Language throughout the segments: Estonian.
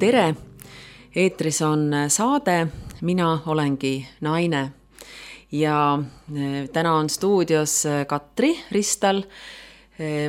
Tere! Eetris on saade Mina olengi naine ja täna on stuudios Katri Ristal.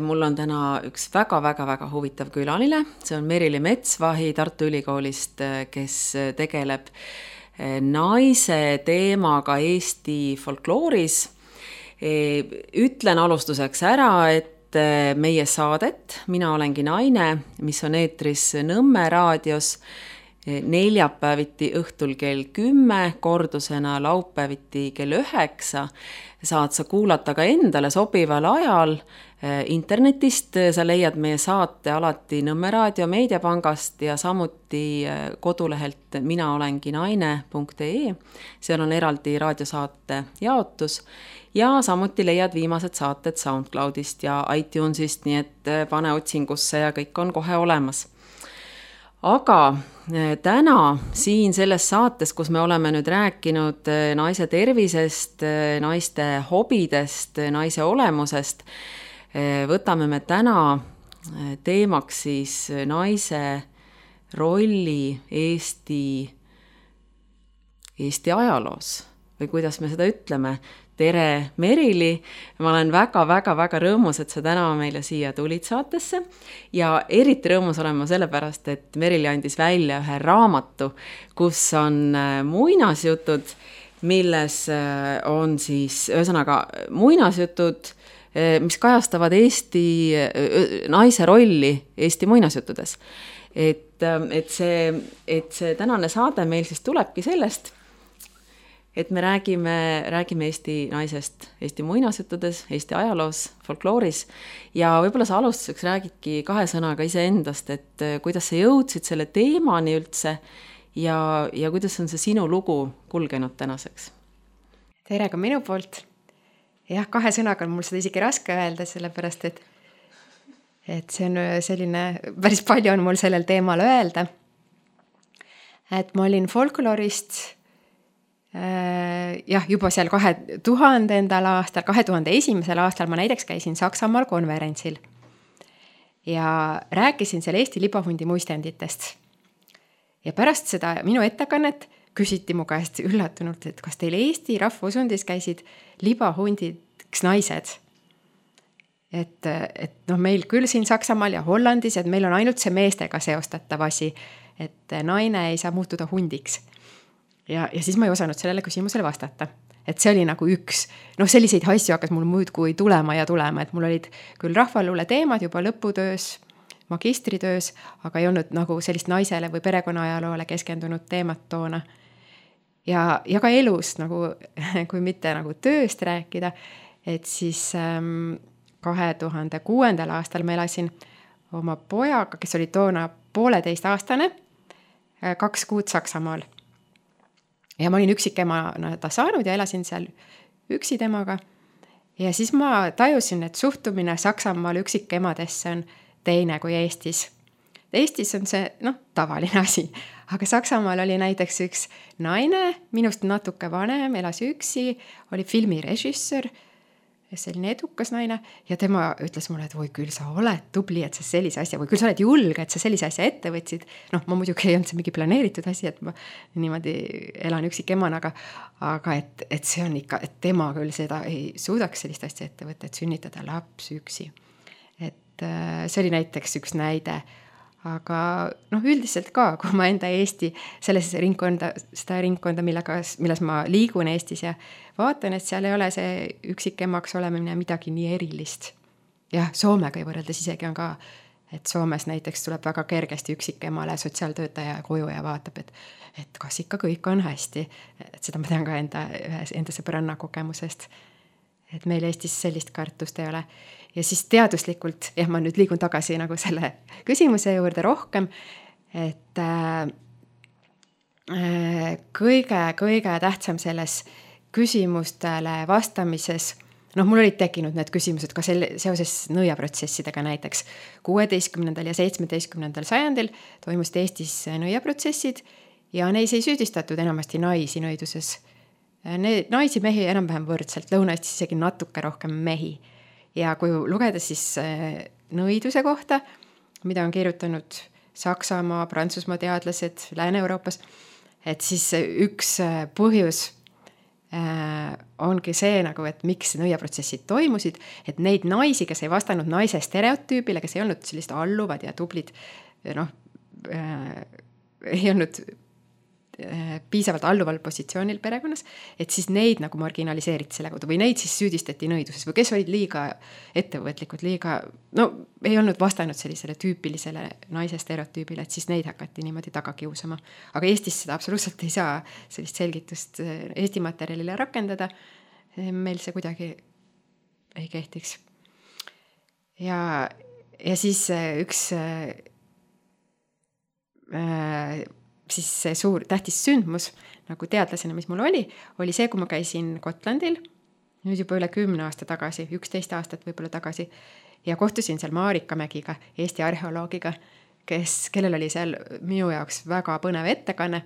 Mul on täna üks väga huvitav külaline. See on Merili Metsvahi Tartu Ülikoolist, kes tegeleb naise teemaga Eesti folklooris. Ütlen alustuseks ära, et meie saadet Mina olengi naine, mis on eetris Nõmme raadios neljapäeviti õhtul kell 10, kordusena laupäeviti kell 9, saad sa kuulata ka endale sobival ajal internetist. Sa leiad meie saate alati Nõmme raadio meediapangast ja samuti kodulehelt minaolenginaine.ee. Seal on eraldi raadiosaate jaotus ja samuti leiad viimased saated SoundCloudist ja iTunesist, nii et pane otsingusse ja kõik on kohe olemas. Aga täna siin selles saates, kus me oleme nüüd rääkinud naise tervisest, naiste hobidest, naise olemusest, võtame me täna teemaks siis naise rolli Eesti ajaloos või kuidas me seda ütleme. Tere, Merili! Ma olen väga rõõmus, et sa täna meile siia tulid saatesse ja eriti rõõmus olen ma sellepärast, et Merili andis välja ühe raamatu, kus on muinasjutud, milles on siis ühesõnaga muinasjutud, mis kajastavad Eesti naise rolli Eesti muinasjuttudes. Et see tänane saade meil siis tulebki sellest, et me räägime Eesti naisest Eesti muinasjuttudes, Eesti ajaloos, folklooris ja võib-olla sa alustuseks räägidki 2 sõnaga iseendast, et kuidas sa jõudsid selle teemani üldse ja kuidas on see sinu lugu kulgenud tänaseks? Tere ka minu poolt. Jah, 2 sõnaga on mul seda isegi raske öelda, sellepärast, et see on selline, päris palju on mul sellel teemal öelda. Et ma olin folkloorist juba seal 2000. aastal, 2001. aastal ma näiteks käisin Saksamaal konverentsil ja rääkisin seal Eesti libahundi muistenditest. Ja pärast seda minu ettekannet küsiti mu käest üllatunult, et kas teil Eesti rahvusundis käisid libahundiks naised? Et meil küll siin Saksamaal ja Hollandis, et meil on ainult see meestega seostatav asi, et naine ei saa muutuda hundiks. Ja siis ma ei osanud sellele küsimusele vastata. Et see oli nagu üks, selliseid asju hakkas mul muudkui tulema, et mul olid küll rahvaluule teemad juba lõputöös, magistritöös, aga ei olnud nagu sellist naisele või perekonnajaloole keskendunud teemat toona. Ja ka elus, nagu, kui mitte nagu tööst rääkida, et siis 2006. aastal ma elasin oma pojaga, kes oli toona 1,5-aastane, 2 kuud Saksamaal. Ja ma olin üksikemana ta saanud ja elasin seal üksi temaga. Ja siis ma tajusin, et suhtumine Saksamaal üksikemadesse on teine kui Eestis. Eestis on see, tavaline asi. Aga Saksamaal oli näiteks üks naine, minust natuke vanem, elas üksi, oli filmirežissöör, selline edukas naine, ja tema ütles mulle, et või küll sa oled tubli, et sa sellise asja, või küll sa oled julge, et sa sellise asja ette võtsid. Ma muidugi ei olnud see mingi planeeritud asi, et ma niimoodi elan üksikemana, aga et see on ikka, et tema küll seda ei suudaks sellist asja ette võtta, et sünnitada laps üksi. Et see oli näiteks üks näide. Aga üldiselt ka, kui ma enda Eesti, seda ringkonda, milles ma liigun Eestis ja vaatan, et seal ei ole see üksikemaks olemine midagi nii erilist. Ja Soomega ei võrreldes isegi on ka, et Soomes näiteks tuleb väga kergesti üksikemale sotsiaaltöötaja koju ja vaatab, et kas ikka kõik on hästi. Et seda ma tean ka enda sõbranna kogemusest. Et meil Eestis sellist kartust ei ole. Ja siis teaduslikult, ma nüüd liigun tagasi nagu selle küsimuse juurde rohkem, et kõige tähtsam selles küsimustele vastamises, mul olid tekkinud need küsimused ka seoses nõiaprotsessidega näiteks. 16. ja 17. sajandil toimus Eestis nõiaprotsessid ja neis ei süüdistatud enamasti naisi nõiduses. Naisi mehi enam-vähem võrdselt, Lõuna-Eestis isegi natuke rohkem mehi. Ja kui lugeda siis nõiduse kohta, mida on kirjutanud Saksamaa, Prantsusmaa teadlased Lääne-Euroopas, et siis üks põhjus ongi see nagu, et miks nõiaprotsessid toimusid, et neid naisi, kes ei vastanud naise stereotüübile, kes ei olnud sellist alluvad ja tublid, ei olnud piisavalt alluval positsioonil perekonnas, et siis neid nagu marginaliseeriti selle kaudu või neid siis süüdistati nõiduses või kes olid liiga ettevõtlikud, ei olnud vastanud sellisele tüüpilisele naise stereotüübile, et siis neid hakati niimoodi taga kiusama. Aga Eestis seda absoluutselt ei saa sellist selgitust Eesti materjalile rakendada. Meil see kuidagi ei kehtiks. Ja siis üks siis see suur tähtis sündmus nagu teadlasena, mis mul oli see, kui ma käisin Gotlandil nüüd juba üle 10 aasta tagasi, 11 aastat võib-olla tagasi ja kohtusin seal Marika Mägiga, Eesti arheoloogiga, kellel oli seal minu jaoks väga põnev ettekanne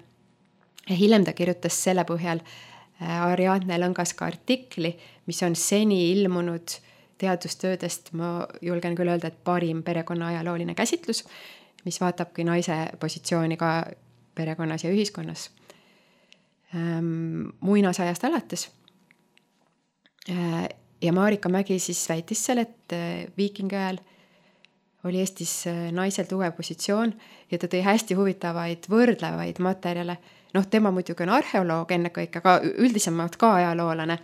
ja hiljem ta kirjutas selle põhjal Ariadne Lõngaska artikli, mis on seni ilmunud teadustöödest, ma julgen küll öelda, et parim perekonna ajalooline käsitlus, mis vaatabki naise positsiooni ka perekonnas ja ühiskonnas muinasajast alates. Ja Marika Mägi siis väitis seal, et viikingi ajal oli Eestis naisel tugev positsioon ja ta tõi hästi huvitavaid võrdlevaid materjale. Tema muidugi on arheoloog ennekõike, aga üldisemalt ka ajaloolane.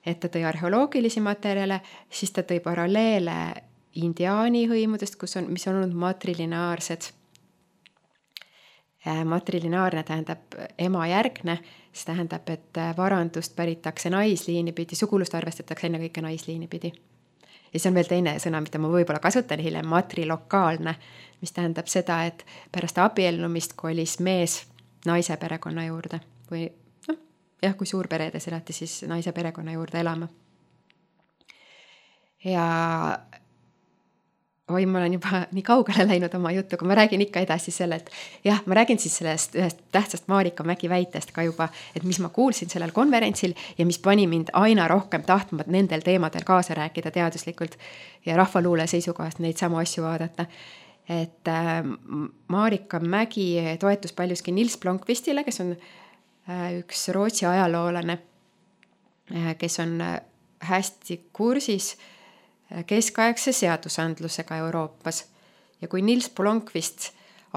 Et ta tõi arheoloogilisi materjale, siis ta tõi paralleele indiaani hõimudest, mis on olnud matrillinaarsed. Matrilinaarne tähendab emajärgne, see tähendab, et varandust päritakse naisliini pidi, sugulust arvestatakse enne kõike naisliini pidi. Ja see on veel teine sõna, mida ma võib-olla kasutan hiljem, matrilokaalne, mis tähendab seda, et pärast abiellumist kolis mees naise perekonna juurde või kui suurperedes elati, siis naise perekonna juurde elama. Ja ma olen juba nii kaugele läinud oma jutuga, ma räägin ikka edasi selle, et ma räägin siis sellest ühest tähtsast Marika Mägi väitest ka juba, et mis ma kuulsin sellel konverentsil ja mis pani mind aina rohkem tahtma nendel teemadel kaasa rääkida teaduslikult ja rahvaluule seisukohast neid samu asju vaadata. Et Marika Mägi toetus paljuski Nils Blomqvistile, kes on üks Rootsi ajaloolane, kes on hästi kursis keskaegse seadusandlusega Euroopas. Ja kui Nils Blomqvist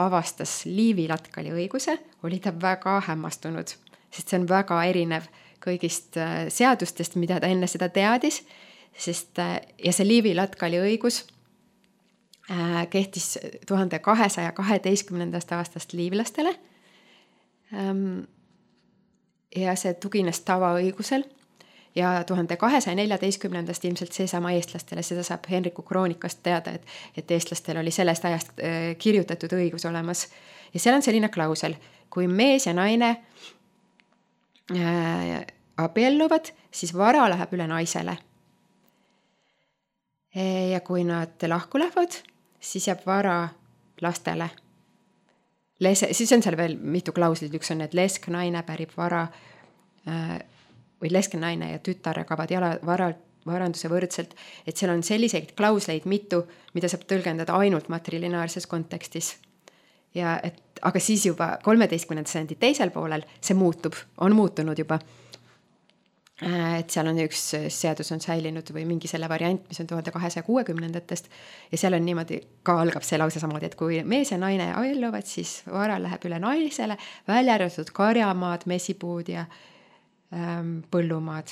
avastas Liivi-Latkali õiguse, oli ta väga hämmastunud, sest see on väga erinev kõigist seadustest, mida ta enne seda teadis, ja see Liivi-Latkali õigus kehtis 1212. aastast liivlastele ja see tugines tavaõigusel ja 1214. ilmselt seesama eestlastele, seda saab Henriku kroonikast teada, et eestlastel oli sellest ajast kirjutatud õigus olemas. Ja seal on selline klausel, kui mees ja naine abielluvad, siis vara läheb üle naisele. Ja kui nad lahku lähevad, siis jääb vara lastele. Siis on seal veel mitu klauslit, üks on, et lesk naine pärib vara või leskenaine ja tütar jagavad varanduse võrdselt, et seal on selliseid klausleid mitu, mida saab tõlgendada ainult matrilinaarses kontekstis. Aga siis juba 13. sajandi teisel poolel see on muutunud juba. Et seal on üks seadus on säilinud või mingi selle variant, mis on 1260-ndatest ja seal on niimoodi, ka algab see lause samamoodi, et kui mees ja naine abielluvad, siis vara läheb üle naisele, välja arvatud karjamaad, mesipuud ja põllumaad.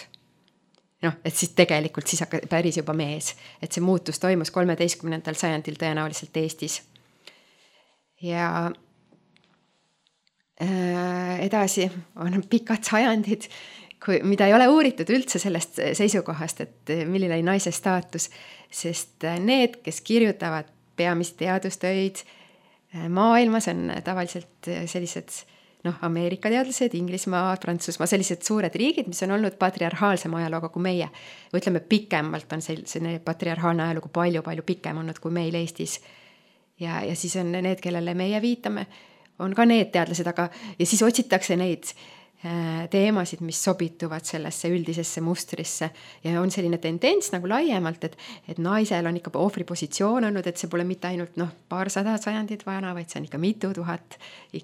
Et siis tegelikult siis päris juba mees, et see muutus toimus 13. sajandil tõenäoliselt Eestis. Ja edasi on pikad sajandid, mida ei ole uuritud üldse sellest seisukohast, et milline oli naise staatus, sest need, kes kirjutavad peamisi teadustöid maailmas, on tavaliselt sellised Ameerika teadlased, Inglismaa, Prantsusmaa, sellised suured riigid, mis on olnud patriarhaalsema ajalooga kui meie. Või ütleme, pikemalt on selline patriarhaalne ajalugu palju pikem olnud kui meil Eestis. Ja siis on need, kellele meie viitame, on ka need teadlased, ja siis otsitakse neid teemasid, mis sobituvad sellesse üldisesse mustrisse ja on selline tendents nagu laiemalt, et naisel on ikka ohvripositsioon olnud, et see pole mitte ainult paarsada sajandit vana, vaid see on ikka mitu tuhat ikka